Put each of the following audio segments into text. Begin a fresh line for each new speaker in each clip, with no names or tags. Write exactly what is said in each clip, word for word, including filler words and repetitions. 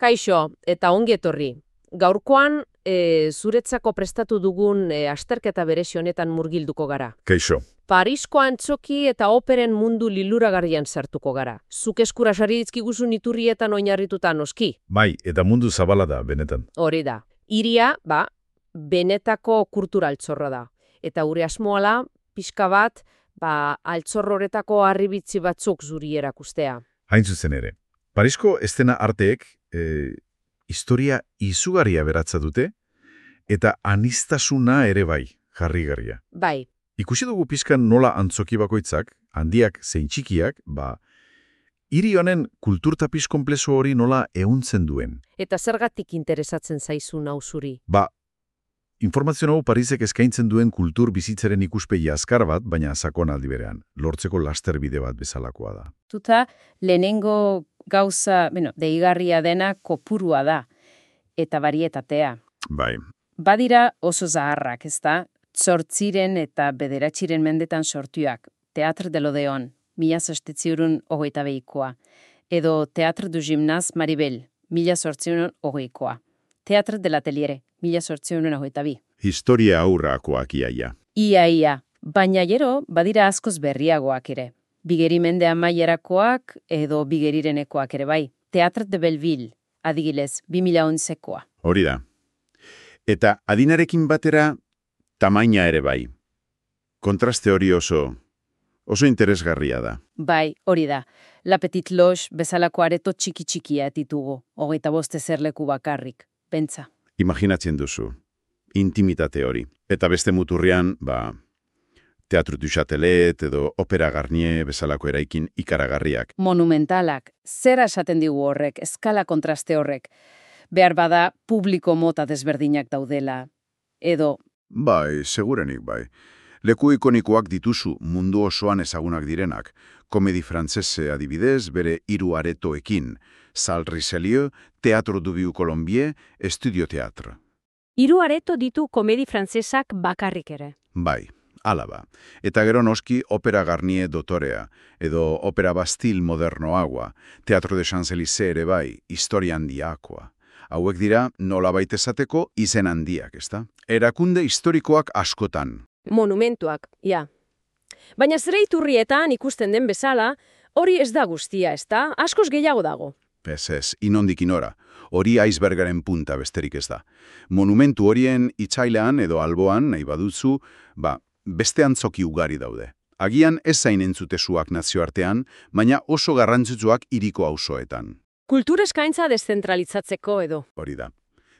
Kaixo, eta ongi etorri. Gaurkoan, e, zuretzako prestatu dugun e, azterketa berezi honetan murgilduko gara.
Kaixo.
Parisko antzoki eta operen mundu liluragarrian sartuko gara. Zuk eskura sari dizkiguzun iturrietan oinarrituta noski.
Bai, eta mundu zabala da, benetan.
Hori da. Hiria, ba, benetako kultura altzorra da. Eta gure asmoala, pixka bat, ba, altzorroretako harribitzi batzuk zuri erakustea.
Hain zuzen ere. Parisko estena arteek e, historia izugarria beratza dute, eta anistasuna ere bai, jarrigarria.
Bai.
Ikusi dugu pizkan nola antzoki bakoitzak, handiak zein txikiak, ba, hiri honen kulturtapiz konplezo hori nola ehuntzen duen.
Eta zergatik interesatzen zaizu nau zuri?
Ba, informazio hau Parisek eskaintzen duen kultur bizitzaren ikuspegi azkar bat, baina sakon aldi berean, lortzeko lasterbide bat bezalakoa da.
Tuta, lehenengo gauza, bueno, deigarria dena kopurua da, eta barietatea.
Bai.
Badira oso zaharrak, ezta? Zortziren eta bederatxiren mendetan sortuak. Teatre de l'Odeon, mila zaztetziurun hogeita behikoa. Edo Teatre du Gimnaz Maribel, mila zortziurun hogeikoa. Teatre de l'Ateliere, mila zortziurun hogeita bi.
Historia aurrakoak iaia.
Ia, ia. Baina gero, badira askoz berriagoak ere. Bigeri mende amaierakoak edo bigerirenekoak ere bai. Teatre de Belleville, adigilez, bi mila onzekoa.
Hori da. Eta adinarekin batera, tamaina ere bai. Kontraste hori oso, oso interesgarria da.
Bai, hori da. La Petite Loge bezalako areto txiki-txikia ditugu, hogeita bost ezerleku bakarrik, pentsa.
Imaginatzen duzu, intimitate hori. Eta beste muturrian, ba, Teatro du Châtelet edo Opera Garnier bezalako eraikin ikaragarriak.
Monumentalak, zera esaten digu horrek, eskala kontraste horrek. Behar bada publiko mota desberdinak daudela. Edo,
Bai, segurenik bai. Leku ikonikoak dituzu mundu osoan ezagunak direnak. Komedi frantzese adibidez, bere hiru aretoekin. Salle Richelieu, Teatro du Vieux Colombier, Estudio Teatre.
Hiru areto ditu komedi frantzesak bakarrik ere.
Bai, hala ba. Eta gero noski Opera Garnier dotorea, edo Opera Bastille modernoagoa, Teatro de Champs-Élysées ere bai, historia handiakoa. Hauek dira nolabait esateko izen handiak, ezta? Erakunde historikoak askotan.
Monumentuak, ja. Baina zure iturrietan ikusten den bezala, hori ez da guztia, ezta? Askoz gehiago dago.
Ez ez, inondik inora. Hori icebergaren punta besterik ez da. Monumentu horien itzailean edo alboan, nahi baduzu, ba, beste antzoki ugari daude. Agian ez zain entzutesuak nazioartean, baina oso garrantzitsuak hiriko auzoetan.
Kultur eskaintza deszentralizatzeko edo.
Hori da.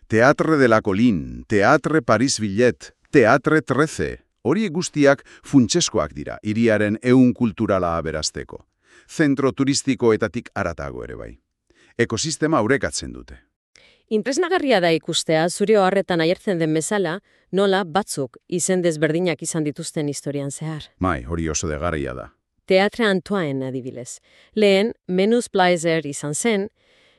Teatre de la Colline, Teatre Paris Villet, Teatre treze. Hori guztiak funtseskoak dira, hiriaren ehun kulturala aberasteko. Zentro turistikoetatik haratago ere bai. Ekosistema aurrekatzen dute.
Inpresnagarria da ikustea, zure oharretan aiertzen den bezala, nola batzuk izen desberdinak izan dituzten historian zehar.
Mai, hori oso degarria da.
Teatre Antoine adibilez. Lehen, Menus Plaisir izan zen,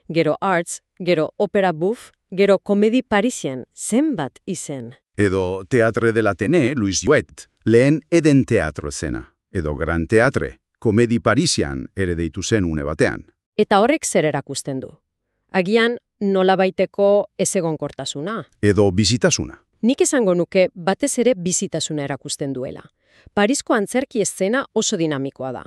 gero Arts, gero Opera Bouffe, gero Komedi Parisien, zenbat izen.
Edo Teatre de l'Atene, Louis Jouet, lehen Eden Teatro zena. Edo Gran Teatre, Komedi Parisian ere deitu zen une batean.
Eta horrek zer erakusten du. Agian nolabaiteko ezegonkortasuna.
Edo bizitasuna.
Nik esango nuke batez ere bizitasuna erakusten duela. Parisko antzerki eszena oso dinamikoa da.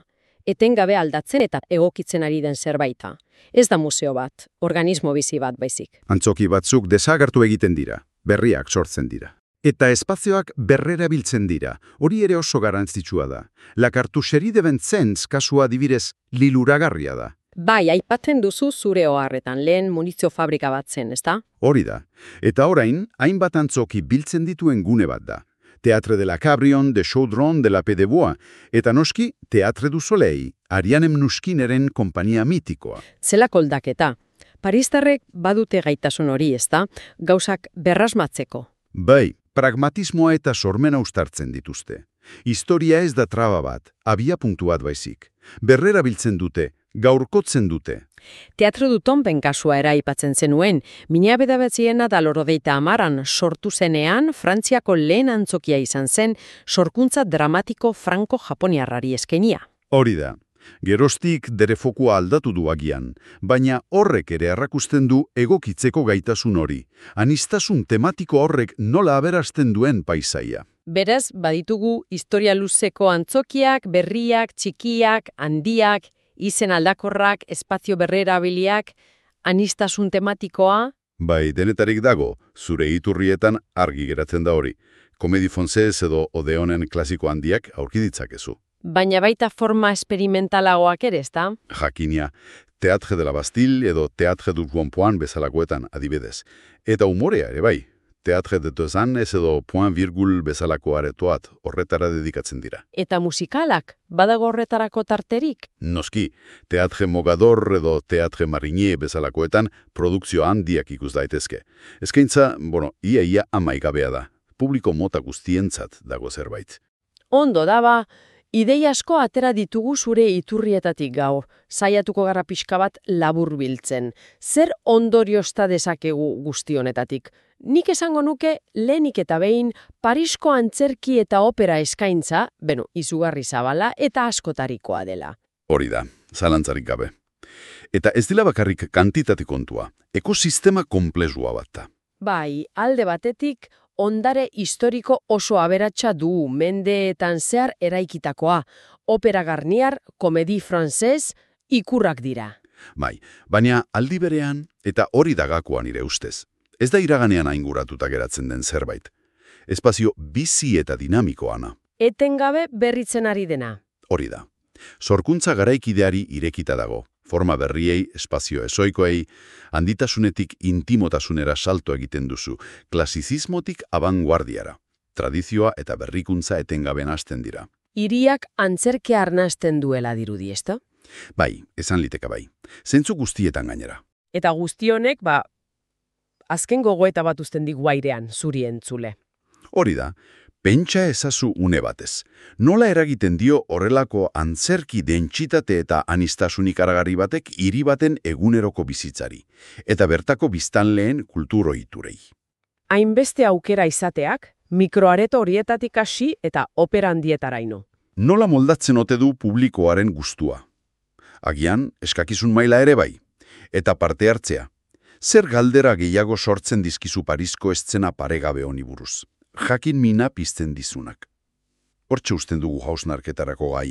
Etengabe aldatzen eta egokitzen ari den zerbaita. Ez da museo bat, organismo bizi bat baizik.
Antzoki batzuk desagertu egiten dira, berriak sortzen dira. Eta espazioak berrerabiltzen dira, hori ere oso garrantzitsua da. La Cartoucherie de Vincennes kasua adibidez liluragarria da.
Bai, aipatzen duzu zure oharretan, lehen munizio fabrika bat zen, ezta?
Hori da. Eta orain, hainbat antzoki biltzen dituen gune bat da. Teatre de la Cabrion, de Chaudron, de la Paix de Bois, eta noski Teatre du Soleil, Ariane Mnouchkineren konpainia mitikoa.
Zelako aldaketa. Paristarrek badute gaitasun hori, ezta? Gauzak berrasmatzeko.
Bai, pragmatismoa eta sormena uztartzen dituzte. Historia ez da traba bat, abia puntu bat baizik. Berrera biltzen dute, gaurkotzen dute.
Teatro du Tomben kasua era aipatzen zenuen, mila bederatziehun eta laurogeita hamaran sortu zenean Frantziako lehen antzokia izan zen sorkuntza dramatiko franko-japoniarrari eskenia.
Hori da. Geroztik dere fokua aldatu du agian, baina horrek ere errakusten du egokitzeko gaitasun hori. Anistasun tematiko horrek nola aberasten duen paisaia.
Beraz, baditugu historia luzeko antzokiak, berriak, txikiak, handiak, izen aldakorrak, espazio berrerabiliak, anistasun tematikoa.
Bai, denetarik dago, zure iturrietan argi geratzen da hori. Komedi Fonsez edo Odeonen klasiko handiak aurki ditzakezu.
Baina baita forma esperimentalagoak ere, ezta?
Jakinia, Teatre de la Bastille edo Teatre du Rond-Point bezalakoetan adibidez. Eta umorea ere bai, Teatre de deux Annes edo Point Virgul bezalako aretoat horretara dedikatzen dira.
Eta musikalak, badago horretarako tarterik?
Noski, Teatre Mogador edo Teatre Marinier bezalakoetan produkzio handiak ikus daitezke. Eskaintza, bueno, ia ia amaigabea da. Publiko mota guztientzat dago zerbait.
Ondo daba, ideia asko atera ditugu zure iturrietatik gaur, saiatuko gara pixka bat labur biltzen. Zer ondoriozta dezakegu guzti honetatik? Nik esango nuke lehenik eta behin Parisko antzerki eta opera eskaintza, beno, izugarri zabala eta askotarikoa dela.
Hori da, zalantzarik gabe. Eta ez dela bakarrik kantitate kontua, ekosistema konplexua bat da.
Bai, alde batetik, ondare historiko oso aberatsa du mendeetan zehar eraikitakoa. Opera Garnier, Komedi Frances, ikurrak dira.
Bai, baina aldi berean eta hori dagakoan nire ustez. Ez da iraganean ainguratuta geratzen den zerbait. Espazio bizi eta dinamikoana.
Etengabe berritzen ari dena.
Hori da. Sorkuntza garaikideari irekita dago. Forma berriei, espazio ezoikoei, handitasunetik intimotasunera salto egiten duzu, klasizismotik abanguardiara. Tradizioa eta berrikuntza etengaben hasten dira.
Hiriak antzerkea arnasten duela dirudi, ezta?
Bai, esan liteka bai. Zentzu guztietan gainera.
Eta guzti honek, ba, azken gogoeta bat uzten digu airean, zuri entzule.
Hori da, pentsa ezazu une batez. Nola eragiten dio horrelako antzerki dentsitate eta anistasunik aragarri batek hiri baten eguneroko bizitzari, eta bertako biztanleen kultur ohiturei.
Hainbeste aukera izateak, mikroareto horietatik hasi eta opera handietaraino.
Nola moldatzen ote du publikoaren gustua? Agian, eskakizun maila ere bai, eta parte hartzea. Zer galdera gehiago sortzen dizkizu Parisko eszena paregabe honi buruz? Jakin mina pizten dizunak. Hortxe usten dugu hausnarketarako gaia.